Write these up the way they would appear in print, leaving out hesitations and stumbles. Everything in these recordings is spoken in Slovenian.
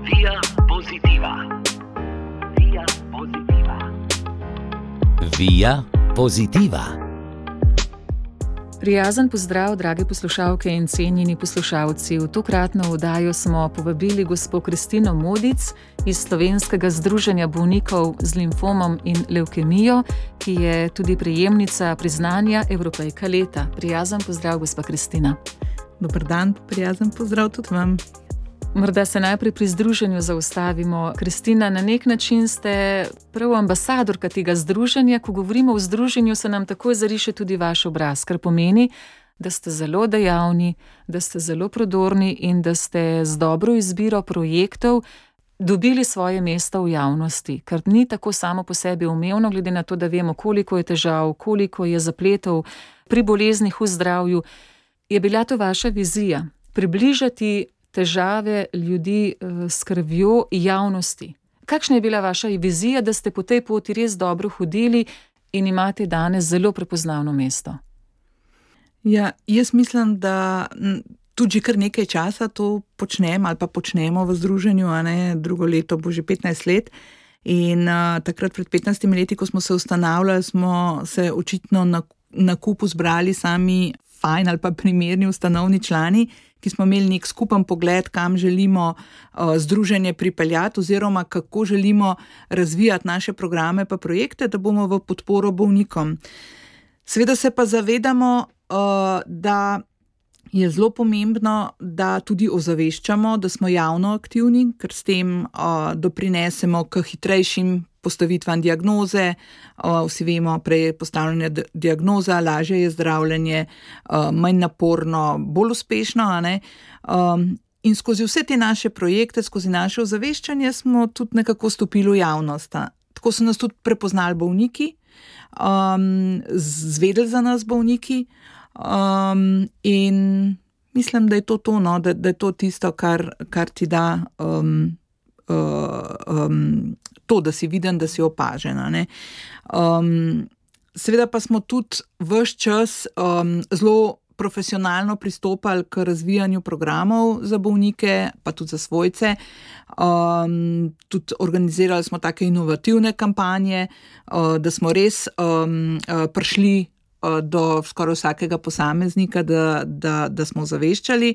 Via Positiva. Via Positiva. Via Positiva. Prijazen pozdrav, drage poslušalke in cenjeni poslušalci. V tokratno oddajo smo povabili gospo Kristino Modic iz Slovenskega združenja bolnikov z limfomom in levkemijo, ki je tudi prejemnica priznanja Evropejka leta. Prijazen pozdrav, gospa Kristina. Dober dan, prijazen pozdrav tudi vam. Morda se najprej pri združenju zaustavimo. Kristina, na nek način ste prav ambasadorka tega združenja. Ko govorimo o združenju, se nam takoj zariše tudi vaš obraz, kar pomeni, da ste zelo dejavni, da ste zelo prodorni in da ste z dobro izbiro projektov dobili svoje mesto v javnosti, kar ni tako samo po sebi umevno, glede na to, da vemo, koliko je težav, koliko je zapletov pri boleznih v zdravju. Je bila to vaša vizija? Približati težave ljudi s krvjo javnosti. Kakšna je bila vaša vizija, da ste po tej poti res dobro hodili in imate danes zelo prepoznavno mesto? Ja, jaz mislim, da tudi že kar nekaj časa to počnem ali pa počnemo v združenju, drugo leto bo že 15 let. In takrat pred 15 leti, ko smo se ustanavljali, smo se očitno na kupu zbrali sami fajn ali pa primerni ustanovni člani, ki smo imeli nek skupen pogled, kam želimo združenje pripeljati oziroma kako želimo razvijati naše programe pa projekte, da bomo v podporo bolnikom. Seveda se pa zavedamo, da je zelo pomembno, da tudi ozaveščamo, da smo javno aktivni, ker s tem doprinesemo k hitrejšim postavitvam diagnoze. Vsi vemo, prej je postavljena diagnoza, lažje je zdravljenje, manj naporno, bolj uspešno. In skozi vse te naše projekte, skozi naše ozaveščanje smo tudi nekako stopili v javnost. Tako so nas tudi prepoznali bolniki, zvedeli za nas bolniki. In mislim, da je to da je to tisto, kar ti da to, da si viden, da si opažen. Seveda pa smo tudi ves čas zelo profesionalno pristopali k razvijanju programov za bolnike, pa tudi za svojce. Tudi organizirali smo take inovativne kampanje, da smo res prišli do skoraj vsakega posameznika, da smo zaveščali.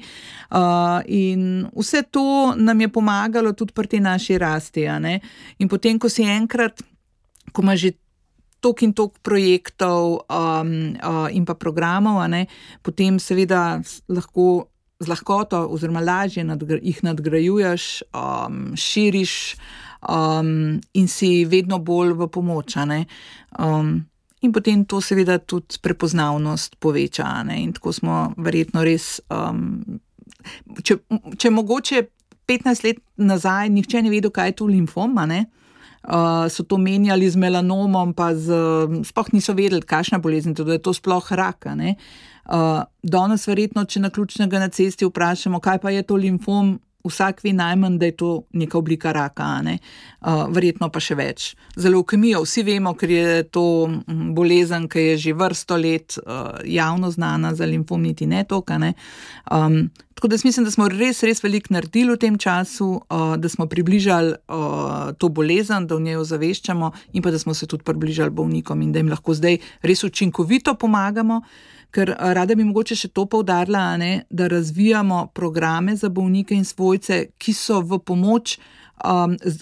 In vse to nam je pomagalo tudi pri tej naši rasti. In potem, ko si enkrat, ko ima že toliko in toliko projektov in pa programov, potem seveda lahko z lahkoto oziroma lažje jih nadgrajuješ, širiš in si vedno bolj v pomoč. In potem to seveda tudi prepoznavnost poveča. In tako smo verjetno res, če mogoče 15 let nazaj nihče ne vedel, kaj je to limfom, so to menjali z melanomom, pa sploh niso vedeli, kakšna bolezen, da je to sploh rak. Danes verjetno, če naključnega na cesti vprašamo, kaj pa je to limfom, vsak ve najmanj, da je to neka oblika raka, verjetno pa še več. Za levkemijo vsi vemo, ker je to bolezen, ki je že vrsto let javno znana, za limfom niti ne toliko. Tako da mislim, da smo res veliko naredili v tem času, da smo približali to bolezen, da v njej ozaveščamo in pa da smo se tudi približali bolnikom in da jim lahko zdaj res učinkovito pomagamo. Ker rada bi mogoče še to poudarila, da razvijamo programe za bolnike in svojce, ki so v pomoč,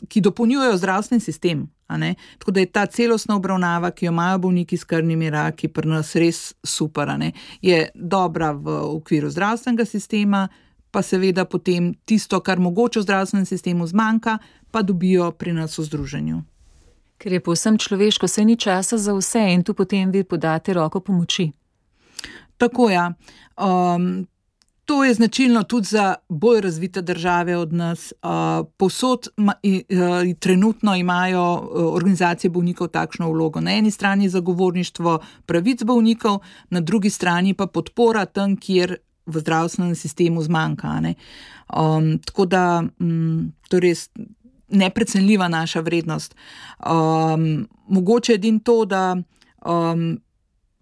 ki dopolnjujejo zdravstveni sistem. Tako da je ta celostna obravnava, ki jo imajo bolniki s krvnimi raki, pri nas res super. Je dobra v okviru zdravstvenega sistema, pa seveda potem tisto, kar mogoče v zdravstvenem sistemu zmanjka, pa dobijo pri nas v združenju. Ker je povsem človeško, saj ni časa za vse in tu potem vi podate roko pomoči. Tako, ja. To je značilno tudi za bolj razvite države od nas. Povsod trenutno imajo organizacije bolnikov takšno vlogo. Na eni strani zagovorništvo pravic bolnikov, na drugi strani pa podpora tam, kjer v zdravstvenem sistemu zmanjka. Tako da to je res neprecenljiva naša vrednost. Mogoče edino to, da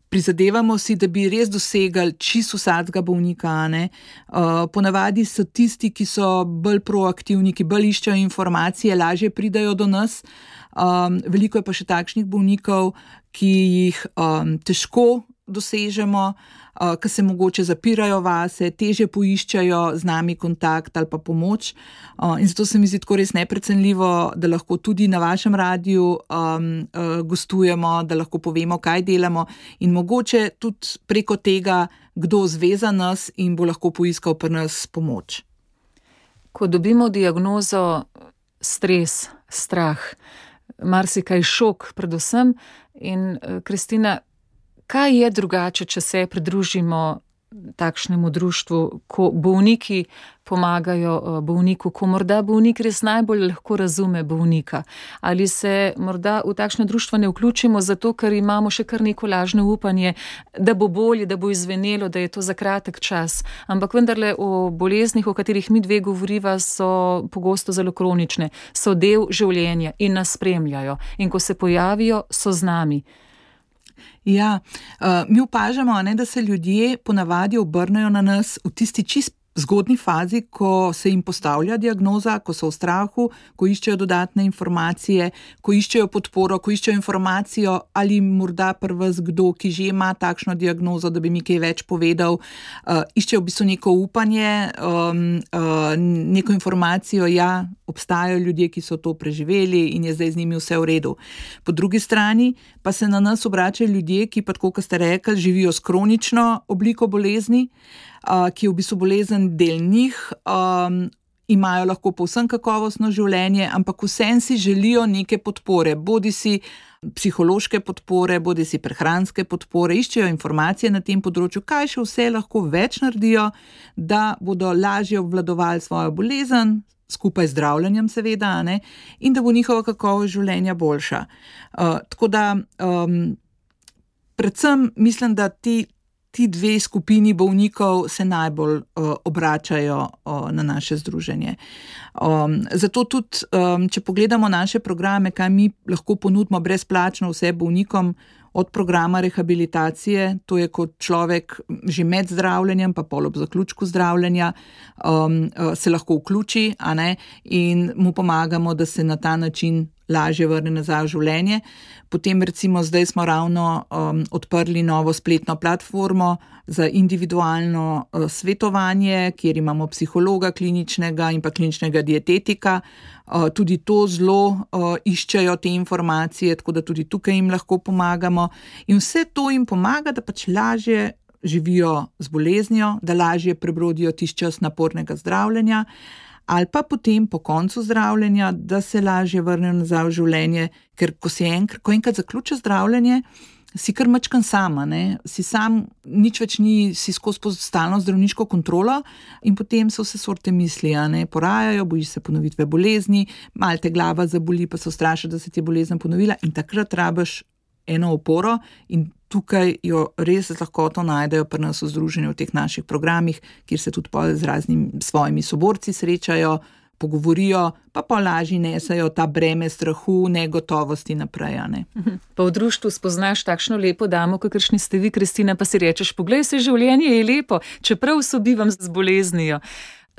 prizadevamo si, da bi res dosegali čisto vsakega bolnika. Ponavadi so tisti, ki so bolj proaktivni, ki bolj iščejo informacije, lažje pridajo do nas. Veliko je pa še takšnih bolnikov, ki jih težko dosežemo, ki se mogoče zapirajo vase, težje poiščajo z nami kontakt ali pa pomoč. In zato se mi zdi tako res neprecenljivo, da lahko tudi na vašem radiju gostujemo, da lahko povemo, kaj delamo in mogoče tudi preko tega, kdo zveza nas in bo lahko poiskal pri nas pomoč. Ko dobimo diagnozo stres, strah, marsikaj šok predvsem in Kristina, kaj je drugače, če se pridružimo takšnemu društvu, ko bolniki pomagajo bolniku, ko morda bolnik res najbolj lahko razume bolnika? Ali se morda v takšno društvo ne vključimo zato, ker imamo še kar neko lažno upanje, da bo bolje, da bo izvenelo, da je to za kratek čas? Ampak vendarle o boleznih, o katerih mi dve govoriva, so pogosto zelo kronične, so del življenja in nas spremljajo. In ko se pojavijo, so z nami. Ja, mi opažamo, da se ljudje ponavadi obrnejo na nas v tisti čist zgodni fazi, ko se jim postavlja diagnoza, ko so v strahu, ko iščejo dodatne informacije, ko iščejo podporo, ko iščejo informacijo ali morda pri vas kdo, ki že ima takšno diagnozo, da bi mi kaj več povedal, iščejo v bistvu neko upanje, neko informacijo, ja, obstajajo ljudje, ki so to preživeli in je zdaj z njimi vse v redu. Po drugi strani pa se na nas obračajo ljudje, ki pa, tako kot ste rekli, živijo s kronično obliko bolezni, ki je v bistvu bolezen del njih, imajo lahko povsem kakovostno življenje, ampak vsem si želijo neke podpore, bodi si psihološke podpore, bodi si prehranske podpore, iščejo informacije na tem področju, kaj še vse lahko več naredijo, da bodo lažje obvladovali svojo bolezen, skupaj z zdravljenjem seveda, in da bo njihova kakovost življenja boljša. Tako da predvsem mislim, da ti dve skupini bolnikov se najbolj obračajo na naše združenje. Zato tudi, če pogledamo naše programe, kaj mi lahko ponudimo brezplačno vse bolnikom, od programa rehabilitacije, to je kot človek že med zdravljenjem, pa pol ob zaključku zdravljenja, se lahko vključi, in mu pomagamo, da se na ta način lažje vrne nazaj v življenje. Potem recimo zdaj smo ravno odprli novo spletno platformo za individualno svetovanje, kjer imamo psihologa kliničnega in pa kliničnega dietetika. Tudi to zelo iščejo te informacije, tako da tudi tukaj jim lahko pomagamo. In vse to jim pomaga, da pač lažje živijo z boleznijo, da lažje prebrodijo tisti čas napornega zdravljenja, ali pa potem po koncu zdravljenja, da se lažje vrnejo nazaj v življenje, ker ko enkrat zaključi zdravljenje, si kar mačkan sama, si sam, nič več ni, si skozi stalno zdravniško kontrolo in potem so vse sorte misli, porajajo, bojiš se ponovitve bolezni, malo te glava zaboli, pa se ustrašiš, da se ti je bolezen ponovila in takrat rabiš eno oporo in tukaj jo res z lahkoto najdejo pri nas v združenju v teh naših programih, kjer se tudi z raznimi svojimi soborci srečajo, pogovorijo, pa lažje nesajo ta breme strahu, negotovosti naprej. Pa v društvu spoznaš takšno lepo damo, kakršni ste vi, Kristina, pa si rečeš, poglej se, življenje je lepo, čeprav sobivam z boleznijo.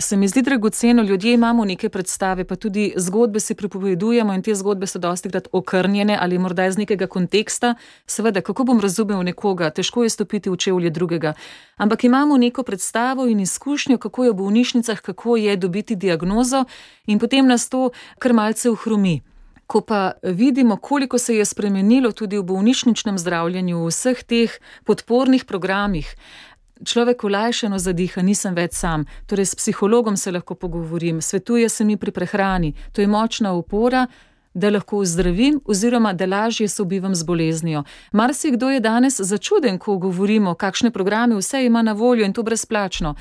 Se mi zdi dragoceno, ljudje imamo neke predstave, pa tudi zgodbe si pripovedujemo in te zgodbe so dostikrat okrnjene ali morda iz nekega konteksta. Seveda, kako bom razumel nekoga, težko je stopiti v čevlje drugega. Ampak imamo neko predstavo in izkušnjo, kako je v bolnišnicah, kako je dobiti diagnozo in potem nas to kar malce ohromi. Ko pa vidimo, koliko se je spremenilo tudi v bolnišničnem zdravljenju, v vseh teh podpornih programih, človek olajšano zadiha, nisem več sam. Torej s psihologom se lahko pogovorim, svetuje se mi pri prehrani. To je močna opora, da lahko ozdravim oziroma da lažje sobivam z boleznijo. Marsikdo je danes začuden, ko govorimo, kakšne programe vse ima na voljo in to brezplačno.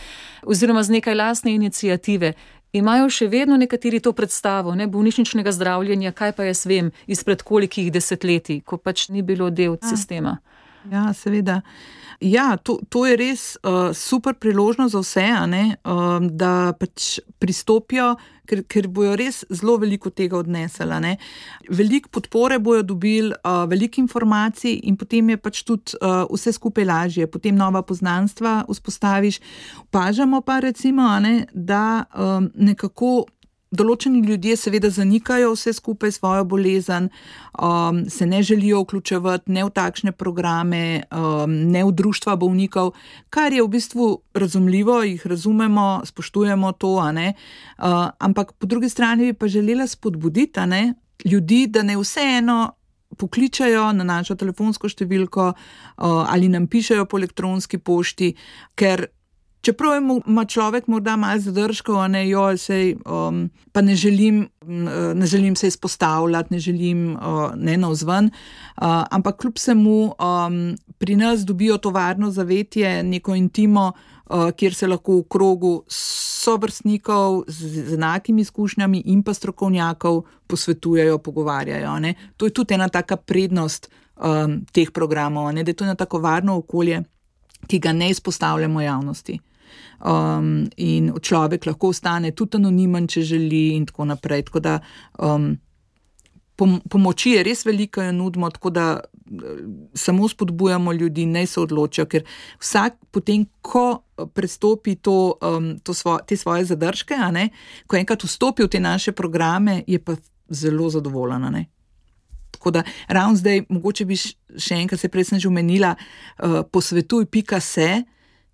Oziroma z nekaj lastne iniciative. Imajo še vedno nekateri to predstavo, bolnišničnega zdravljenja, kaj pa jaz vem, izpred kolikih desetletij, ko pač ni bilo del sistema. Ja, seveda. Ja, to je res super priložnost za vse, da pač pristopijo, ker bojo res zelo veliko tega odnesli. Veliko podpore bojo dobili, veliko informacij in potem je pač tudi vse skupaj lažje, potem nova poznanstva vzpostaviš. Opažamo pa recimo, da nekako določeni ljudje seveda zanikajo vse skupaj svojo bolezen, se ne želijo vključevati ne v takšne programe, ne v društva bolnikov, kar je v bistvu razumljivo, jih razumemo, spoštujemo to, ampak po drugi strani bi pa želela spodbuditi, ljudi, da ne vseeno pokličajo na našo telefonsko številko ali nam pišejo po elektronski pošti, ker čeprav ima človek morda malo zadržkov, pa ne želim se izpostavljati, ne želim navzven, ampak kljub vsemu pri nas dobijo to varno zavetje, neko intimo, kjer se lahko v krogu sovrstnikov z enakimi izkušnjami in pa strokovnjakov posvetujejo, pogovarjajo. To je tudi ena taka prednost teh programov, da je to ena tako varno okolje, ki ga ne izpostavljamo javnosti. In človek lahko ostane tudi anonimen, če želi in tako naprej. Tako da pomoči je res veliko, jo nudimo, tako da samo spodbujamo ljudi, naj se odločijo, ker vsak potem, ko prestopi te svoje zadržke, ko enkrat vstopi v te naše programe, je pa zelo zadovoljen. Tako da ravno zdaj, mogoče bi še enkrat, se prej sem že omenila, posvetuj.se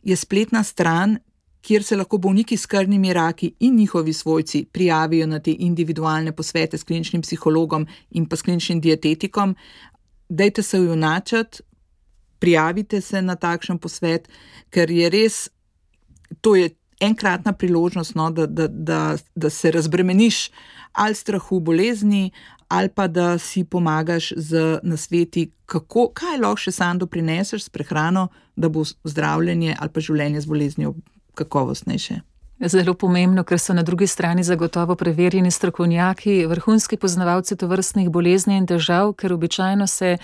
je spletna stran, kjer se lahko bolniki s krvnimi raki in njihovi svojci prijavijo na te individualne posvete s kliničnim psihologom in pa s kliničnim dietetikom. Dajte se ujunačiti, prijavite se na takšen posvet, ker je res, to je enkratna priložnost, da se razbremeniš ali strahu bolezni, ali pa da si pomagaš z nasveti, kaj lahko še sam doprineseš s prehrano, da bo zdravljenje ali pa življenje z boleznijo kakovostnejše. Zelo pomembno, ker so na drugi strani zagotovo preverjeni strokovnjaki, vrhunski poznavalci tovrstnih bolezni in težav, ker običajno se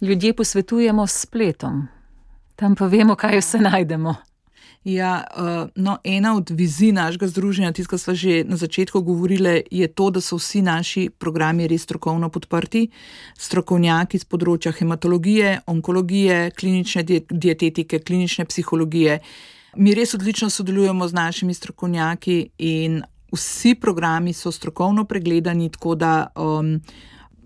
ljudje posvetujemo s spletom. Tam pa vemo, kaj vse najdemo. Ja, ena od vizij našega združenja, tisto, kar sva že na začetku govorili, je to, da so vsi naši programi res strokovno podprti. Strokovnjaki z področja hematologije, onkologije, klinične dietetike, klinične psihologije. Mi res odlično sodelujemo z našimi strokovnjaki in vsi programi so strokovno pregledani, tako da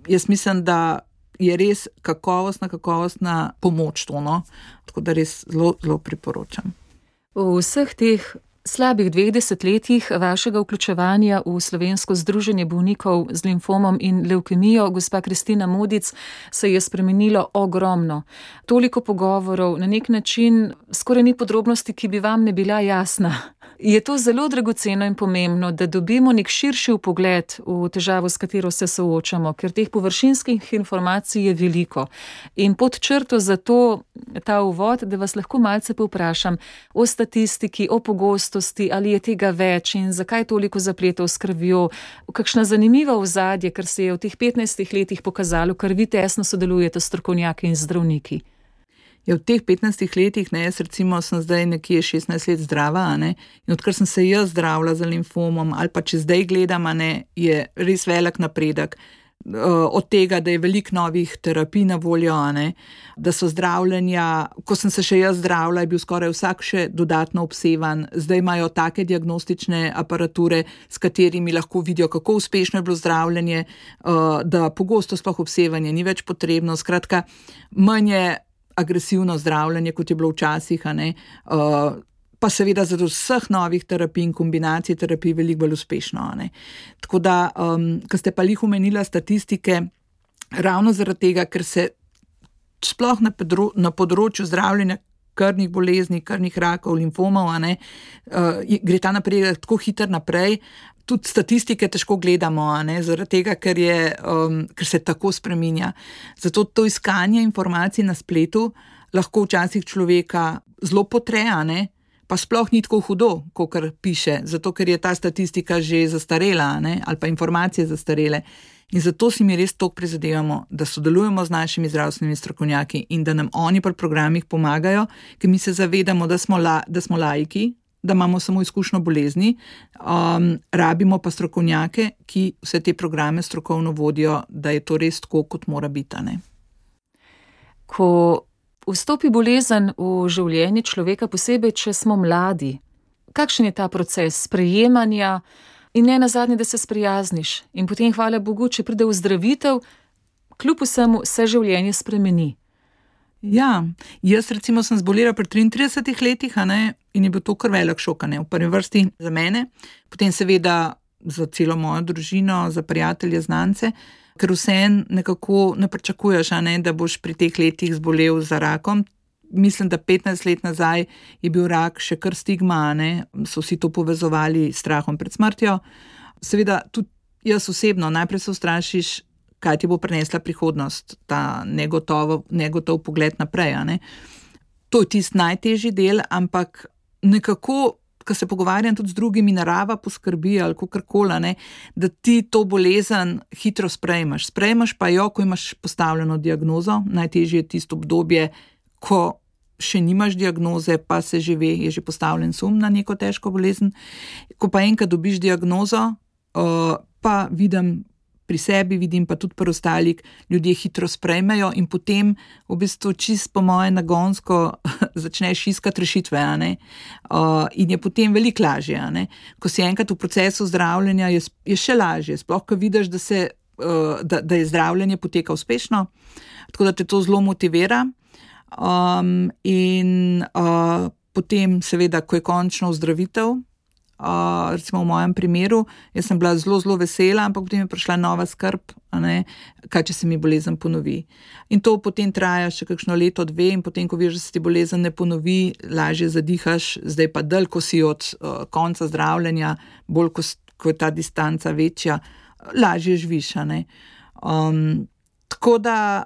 jaz mislim, da je res kakovostna pomoč to, tako da res zelo, zelo priporočam. V vseh teh slabih 2 desetletjih vašega vključevanja v Slovensko združenje bolnikov z limfomom in levkemijo, gospa Kristina Modic, se je spremenilo ogromno. Toliko pogovorov, na nek način skoraj ni podrobnosti, ki bi vam ne bila jasna. Je to zelo dragoceno in pomembno, da dobimo nek širši vpogled v težavo, s katero se soočamo, ker teh površinskih informacij je veliko. In pod črto za to ta uvod, da vas lahko malce povprašam o statistiki, o pogostosti, ali je tega več in zakaj toliko zapletov s krvjo, kakšna zanimiva ozadje, ker se je v teh 15 letih pokazalo, ker vi tesno sodelujete s strokovnjaki in zdravniki. V teh 15 letih, jaz recimo sem zdaj nekje 16 let zdrava, in odkar sem se jaz zdravila za limfomom, ali pa če zdaj gledam, je res velik napredek. Od tega, da je veliko novih terapij na voljo, da so zdravljenja, ko sem se še jaz zdravila, je bil skoraj vsak še dodatno obsevan, zdaj imajo take diagnostične aparature, s katerimi lahko vidijo, kako uspešno je bilo zdravljenje, da pogosto sploh obsevanje ni več potrebno, skratka, manj je agresivno zdravljenje, kot je bilo včasih, pa seveda zaradi vseh novih terapij in kombinacij terapij veliko bolj uspešno. Tako da, ko ste pa lih omenila statistike, ravno zaradi tega, ker se sploh na področju zdravljenja krvnih bolezni, krvnih rakov, limfomov, gre ta napredek tako hiter naprej, tudi statistike težko gledamo, zaradi tega, ker se tako spreminja. Zato to iskanje informacij na spletu lahko včasih človeka zelo potre, pa sploh ni tako hudo, kakor piše, zato ker je ta statistika že zastarela, ali pa informacije zastarele. In zato si mi res toliko prizadevamo, da sodelujemo z našimi zdravstvenimi strokovnjaki in da nam oni pri programih pomagajo, ker mi se zavedamo, da smo laiki, da imamo samo izkušnjo bolezni, rabimo pa strokovnjake, ki vse te programe strokovno vodijo, da je to res tako, kot mora biti. Ne? Ko vstopi bolezen v življenje človeka, posebej, če smo mladi, kakšen je ta proces sprejemanja in ne nazadnje, da se sprijazniš in potem, hvala Bogu, če pride ozdravitev, kljub vsemu se življenje spremeni. Ja, jaz recimo sem zbolela pri 33 letih, in je bil to kar velik šok, v prvi vrsti za mene, potem seveda za celo mojo družino, za prijatelje, znance, ker vseeno nekako ne pričakuješ, da boš pri teh letih zbolel za rakom. Mislim, da 15 let nazaj je bil rak še kar stigma, so vsi to povezovali s strahom pred smrtjo. Seveda tudi jaz osebno, najprej se ustrašiš, kaj ti bo prinesla prihodnost, ta negotov pogled naprej. To je tisti najtežji del, ampak nekako, ko se pogovarjam tudi z drugimi, narava poskrbi ali kakorkoli, da ti to bolezen hitro sprejmeš. Sprejmeš pa jo, ko imaš postavljeno diagnozo, najtežje je tisto obdobje, ko še nimaš diagnoze, pa se že ve, je že postavljen sum na neko težko bolezen. Ko pa enkrat dobiš diagnozo, pa pri sebi vidim, pa tudi pri ostalih, ljudje hitro sprejmejo in potem v bistvu čist po moje nagonsko začneš iskati rešitve, in je potem veliko lažje. Ko si enkrat v procesu zdravljenja, je še lažje, sploh ko vidiš, da je zdravljenje poteka uspešno, tako da te to zelo motivira. In potem seveda, ko je končno ozdravitev, recimo v mojem primeru, jaz sem bila zelo, zelo vesela, ampak potem je prišla nova skrb, kaj če se mi bolezen ponovi. In to potem traja še kakšno leto, dve, in potem, ko vidiš, da se ti bolezen ne ponovi, lažje zadihaš, zdaj pa dalj, ko si od konca zdravljenja, bolj, ko je ta distanca večja, lažje živiš. Tako da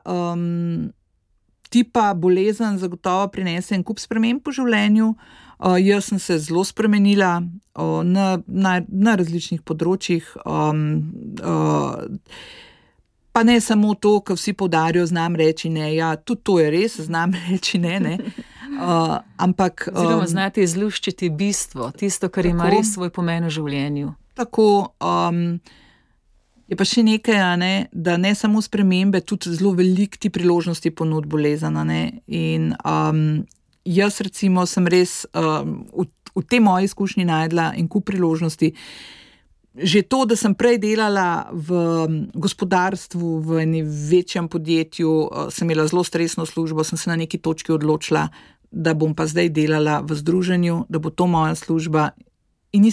ti pa bolezen zagotovo prinese en kup sprememb po življenju. Jaz sem se zelo spremenila na različnih področjih, pa ne samo to, kar vsi poudarjajo, znam reči ne, ja, tudi to je res, znam reči ne, ampak... Oziroma znati izluščiti bistvo, tisto, kar ima res svoj pomen v življenju. Tako, je pa še nekaj, da ne samo spremembe, tudi zelo veliko ti priložnosti ponud bolezen, in jaz recimo sem res v tej moji izkušnji najdla en kup priložnosti. Že to, da sem prej delala v gospodarstvu, v enem večjem podjetju, sem imela zelo stresno službo, sem se na neki točki odločila, da bom pa zdaj delala v združenju, da bo to moja služba. In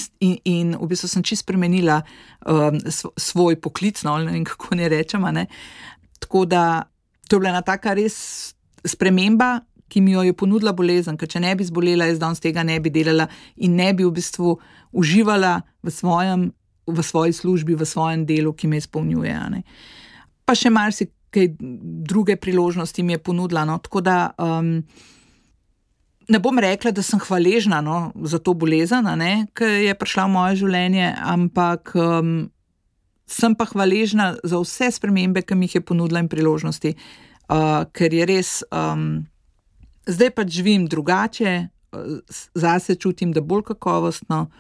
v bistvu sem čisto spremenila svoj poklic, ne vem, kako ne rečem. Tako da to je bila ena taka res sprememba, ki mi jo je ponudila bolezen, ker če ne bi zbolela, jaz danes tega ne bi delala in ne bi v bistvu uživala v svoji službi, v svojem delu, ki me izpolnjuje. Pa še marsikaj druge priložnosti mi je ponudila. Tako da ne bom rekla, da sem hvaležna za to bolezen, ki je prišla v moje življenje, ampak sem pa hvaležna za vse spremembe, ki mi jih je ponudila in priložnosti, ker je res... Zdaj pač živim drugače, zase čutim, da bolj kakovostno,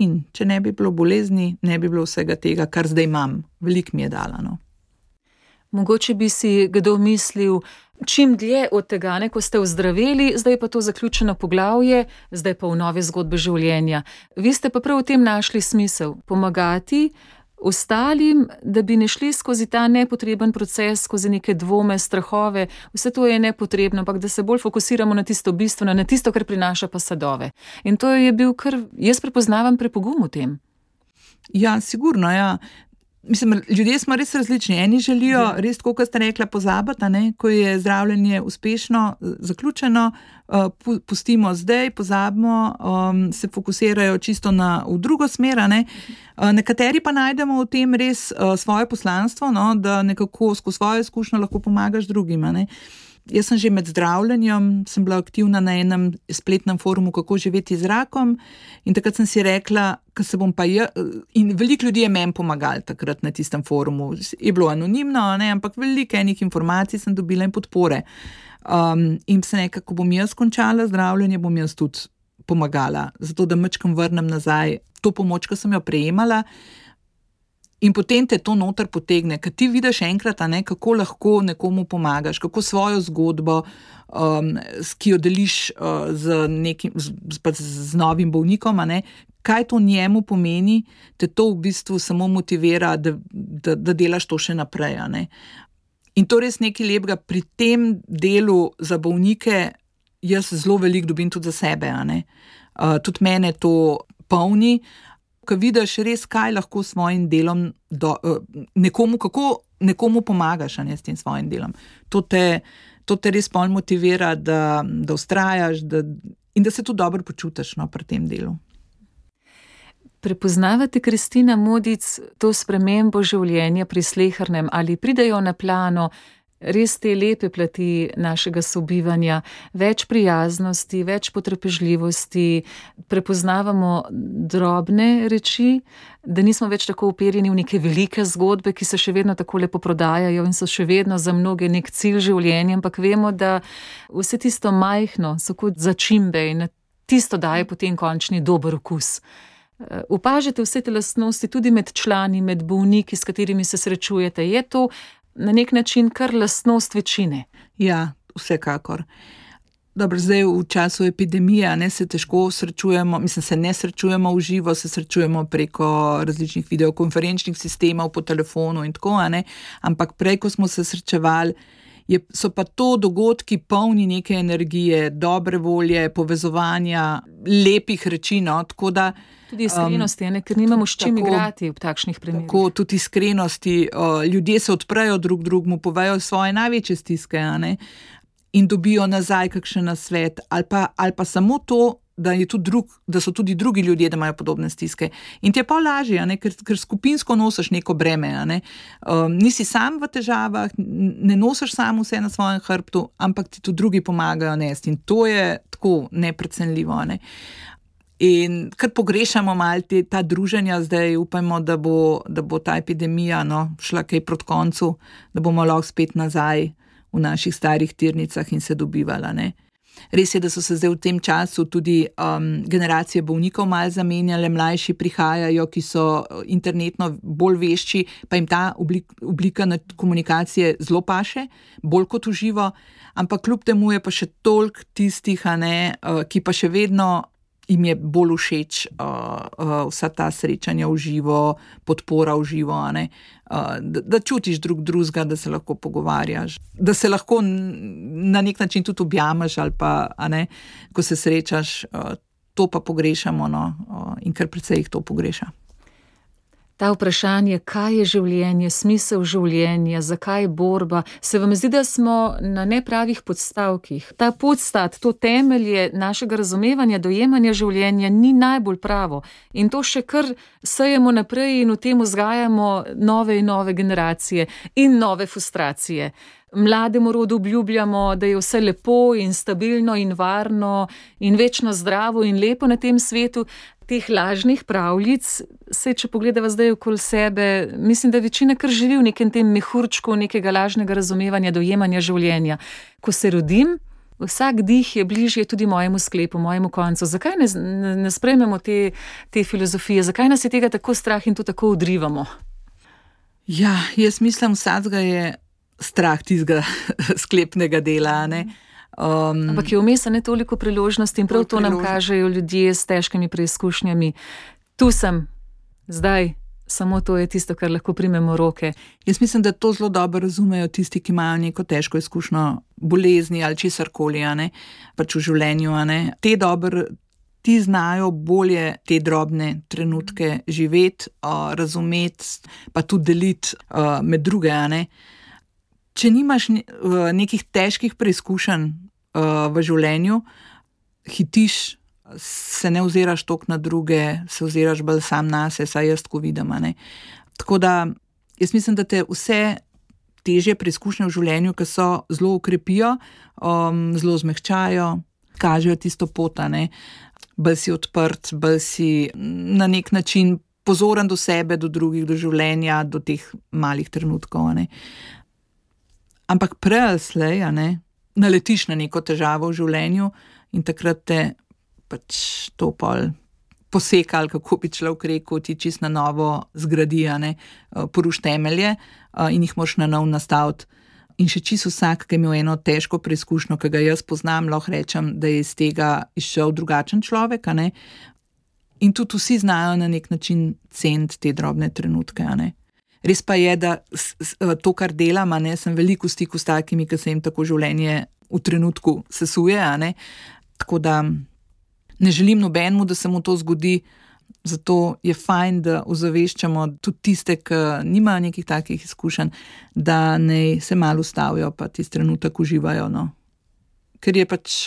in če ne bi bilo bolezni, ne bi bilo vsega tega, kar zdaj imam. Veliko mi je dala. Mogoče bi si kdo mislil, čim dlje od tega, ko ste ozdraveli, zdaj pa to zaključeno poglavje, zdaj pa v nove zgodbe življenja. Vi ste pa prav v tem našli smisel, pomagati ostalim, da bi ne šli skozi ta nepotreben proces, skozi neke dvome, strahove, vse to je nepotrebno, ampak da se bolj fokusiramo na tisto bistveno, na tisto, kar prinaša pa sadove. In to je bil kar, jaz prepoznavam prepogum v tem. Ja, sigurno, ja. Mislim, ljudje smo res različni. Eni želijo res, tako kot ste rekla, pozabiti, ko je zdravljenje uspešno, zaključeno, pustimo zdaj, pozabimo, se fokusirajo čisto v drugo smer. Nekateri pa najdemo v tem res svoje poslanstvo, da nekako skozi svojo izkušnjo lahko pomagaš drugim. Jaz sem že med zdravljenjem, sem bila aktivna na enem spletnem forumu, kako živeti z rakom, in takrat sem si rekla, ko se bom pa in veliko ljudi je meni pomagali takrat na tistem forumu. Je bilo anonimno, ne, ampak veliko enih informacij sem dobila in podpore. In sem rekla, ko bom jaz končala zdravljenje, bom jaz tudi pomagala, zato da majčkam vrnem nazaj to pomoč, ki sem jo prejemala. In potem te to noter potegne, ker ti vidiš enkrat, kako lahko nekomu pomagaš, kako svojo zgodbo, ki jo deliš z novim bolnikom, kaj to njemu pomeni, te to v bistvu samo motivira, da delaš to še naprej. In to res nekaj lepega pri tem delu za bolnike, jaz zelo veliko dobim tudi za sebe. Tudi mene to polni, ko vidiš res, kaj lahko s svojim delom kako nekomu pomagaš s tem svojim delom. To te res pol motivira, da vztrajaš in da se tudi dobro počutiš pri tem delu. Prepoznavate, Kristina Modic, to spremembo življenja pri slehernem, ali pridejo na plano res te lepe plati našega sobivanja, več prijaznosti, več potrpežljivosti, prepoznavamo drobne reči, da nismo več tako uperjeni v neke velike zgodbe, ki se še vedno tako lepo prodajajo in so še vedno za mnoge nek cilj življenja, ampak vemo, da vse tisto majhno so kot začimbe in tisto daje potem končni dober okus. Opažate vse te lastnosti tudi med člani, med bolniki, s katerimi se srečujete. Je to na nek način kar lastnost večine? Ja, vsekakor. Dobro, zdaj v času epidemije se težko srečujemo, se ne srečujemo v živo, se srečujemo preko različnih videokonferenčnih sistemov, po telefonu in tako, ampak prej, ko smo se srečevali, so pa to dogodki polni neke energije, dobre volje, povezovanja, lepih reči, tako da tudi iskrenosti, ker nimamo s čim igrati v takšnih primerih. Tako, tudi iskrenosti, ljudje se odprejo drug drugemu, povejo svoje največje stiske, in dobijo nazaj kakšen nasvet, ali pa samo to, da so tudi drugi ljudje, da imajo podobne stiske. In ti je pa lažje, ker skupinsko nosiš neko breme. Nisi sam v težavah, ne nosiš sam vse na svojem hrbtu, ampak ti tudi drugi pomagajo nesti. In to je tako neprecenljivo. In kar pogrešamo malo ta druženja zdaj, upajmo, da bo ta epidemija šla kaj proti koncu, da bomo lahko spet nazaj v naših starih tirnicah in se dobivala. Res je, da so se zdaj v tem času tudi generacije bolnikov malo zamenjale, mlajši prihajajo, ki so internetno bolj vešči, pa jim ta oblika komunikacije zelo paše, bolj kot v živo, ampak kljub temu je pa še toliko tistih, ki pa še vedno jim je bolj všeč vsa ta srečanja v živo, podpora v živo, da čutiš drugega, da se lahko pogovarjaš, da se lahko na nek način tudi objameš ali pa, ko se srečaš, to pa pogrešamo, in kar precej jih to pogreša. Ta vprašanje, kaj je življenje, smisel življenja, zakaj borba, se vam zdi, da smo na nepravih podstavkih. Ta podstat, to temelje našega razumevanja, dojemanja življenja ni najbolj pravo. In to še kar sejemo naprej in v tem vzgajamo nove in nove generacije in nove frustracije. Mlademu rodu obljubljamo, da je vse lepo in stabilno in varno in večno zdravo in lepo na tem svetu. Teh lažnih pravljic, če pogledava zdaj okoli sebe, mislim, da večina kar živi v nekem tem mehurčku nekega lažnega razumevanja, dojemanja življenja. Ko se rodim, vsak dih je bližje tudi mojemu sklepu, mojemu koncu. Zakaj ne sprejmemo te filozofije? Zakaj nas je tega tako strah in to tako odrivamo? Ja, jaz mislim, vsakega je strah tistega sklepnega dela, ampak je vmes ne toliko priložnosti in prav to nam kažejo ljudje s težkimi preizkušnjami. Tu sem, zdaj, samo to je tisto, kar lahko primemo v roke. Jaz mislim, da to zelo dobro razumejo tisti, ki imajo neko težko izkušnjo bolezni ali česarkoli, pač v življenju. Ti znajo bolje te drobne trenutke živeti, razumeti, pa tudi deliti med druge. Če nimaš nekih težkih preizkušenj v življenju, hitiš, se ne oziraš toliko na druge, se oziraš bolj sam nase, saj jaz tako vidim. Tako da, jaz mislim, da te vse težje preizkušnje v življenju, ki so zelo ukrepijo, zelo zmehčajo, kažejo tisto pot, bolj si odprt, bolj si na nek način pozoren do sebe, do drugih, do življenja, do teh malih trenutkov. Ampak prej ali slej, naletiš na neko težavo v življenju in takrat te pač to pol poseka, ali kako bi človek rekel, ti čist na novo zgradi, poruš temelje in jih moraš na nov nastaviti. In še čisto vsak, ki je imel eno težko preizkušnjo, ki ga jaz poznam, lahko rečem, da je iz tega izšel drugačen človek, In tudi vsi znajo na nek način ceniti te drobne trenutke, Res pa je, da to, kar delam, sem veliko v stiku s takimi, ki se jim tako življenje v trenutku sesuje, Tako da ne želim nobenemu, da se mu to zgodi, zato je fajn, da ozaveščamo tudi tiste, ki nimajo nekih takih izkušenj, da naj se malo ustavijo pa tisti trenutek uživajo, Ker je pač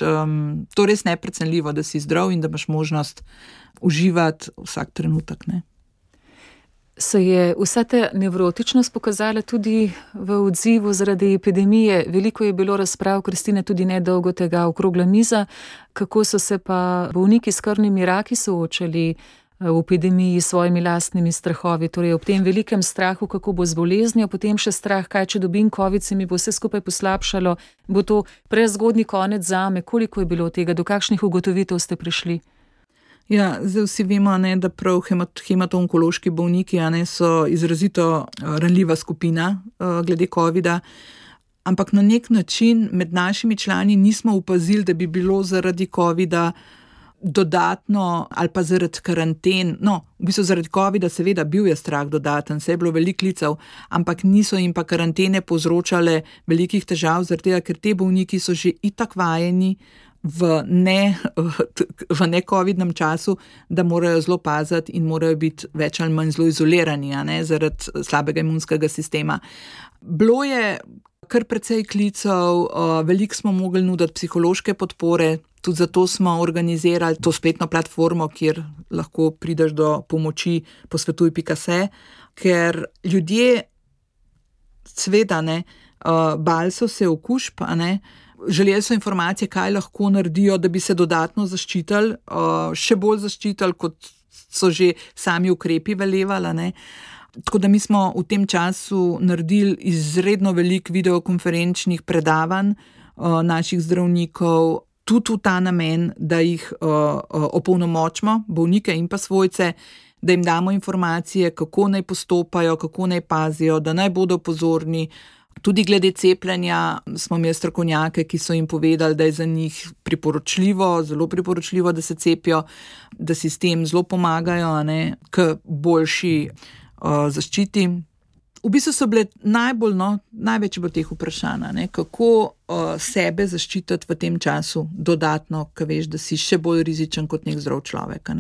to res neprecenljivo, da si zdrav in da imaš možnost uživati vsak trenutek, Se je vsa ta nevrotičnost pokazala tudi v odzivu zaradi epidemije? Veliko je bilo razprav, Kristine, tudi nedolgo tega, okrogla miza. Kako so se pa bolniki s krvnimi raki soočali v epidemiji s svojimi lastnimi strahovi? Torej ob tem velikem strahu, kako bo z boleznijo, potem še strah, kaj če dobim covid, se mi bo vse skupaj poslabšalo, bo to prezgodnji konec zame. Koliko je bilo tega, do kakšnih ugotovitev ste prišli? Ja, zdaj vsi vemo, da prav hemato-onkološki bolniki so izrazito ranljiva skupina glede covida, ampak na nek način med našimi člani nismo opazili, da bi bilo zaradi covida dodatno ali pa zaradi karanten, v bistvu zaradi covida seveda bil je strah dodaten, se je bilo veliko klicev, ampak niso jim pa karantene povzročale velikih težav, zaradi tega, ker te bolniki so že itak vajeni v ne-covidnem času, da morajo zelo paziti in morajo biti več ali manj zelo izolirani, zaradi slabega imunskega sistema. Bilo je kar precej klicev, veliko smo mogli nuditi psihološke podpore, tudi zato smo organizirali to spletno platformo, kjer lahko prideš do pomoči posvetuj.se, ker ljudje seveda bali so se okužb, želeli so informacije, kaj lahko naredijo, da bi se dodatno zaščitili, še bolj zaščitili, kot so že sami ukrepi velevali, Tako da mi smo v tem času naredili izredno veliko videokonferenčnih predavanj naših zdravnikov, tudi v ta namen, da jih opolnomočimo, bolnike in pa svojce, da jim damo informacije, kako naj postopajo, kako naj pazijo, da naj bodo pozorni. Tudi glede cepljenja smo imeli strokovnjake, ki so jim povedali, da je za njih priporočljivo, zelo priporočljivo, da se cepijo, da si s tem zelo pomagajo, k boljši zaščiti. V bistvu so bile največ bo teh vprašanj, kako sebe zaščititi v tem času dodatno, ko veš, da si še bolj rizičen kot nek zdrav človek.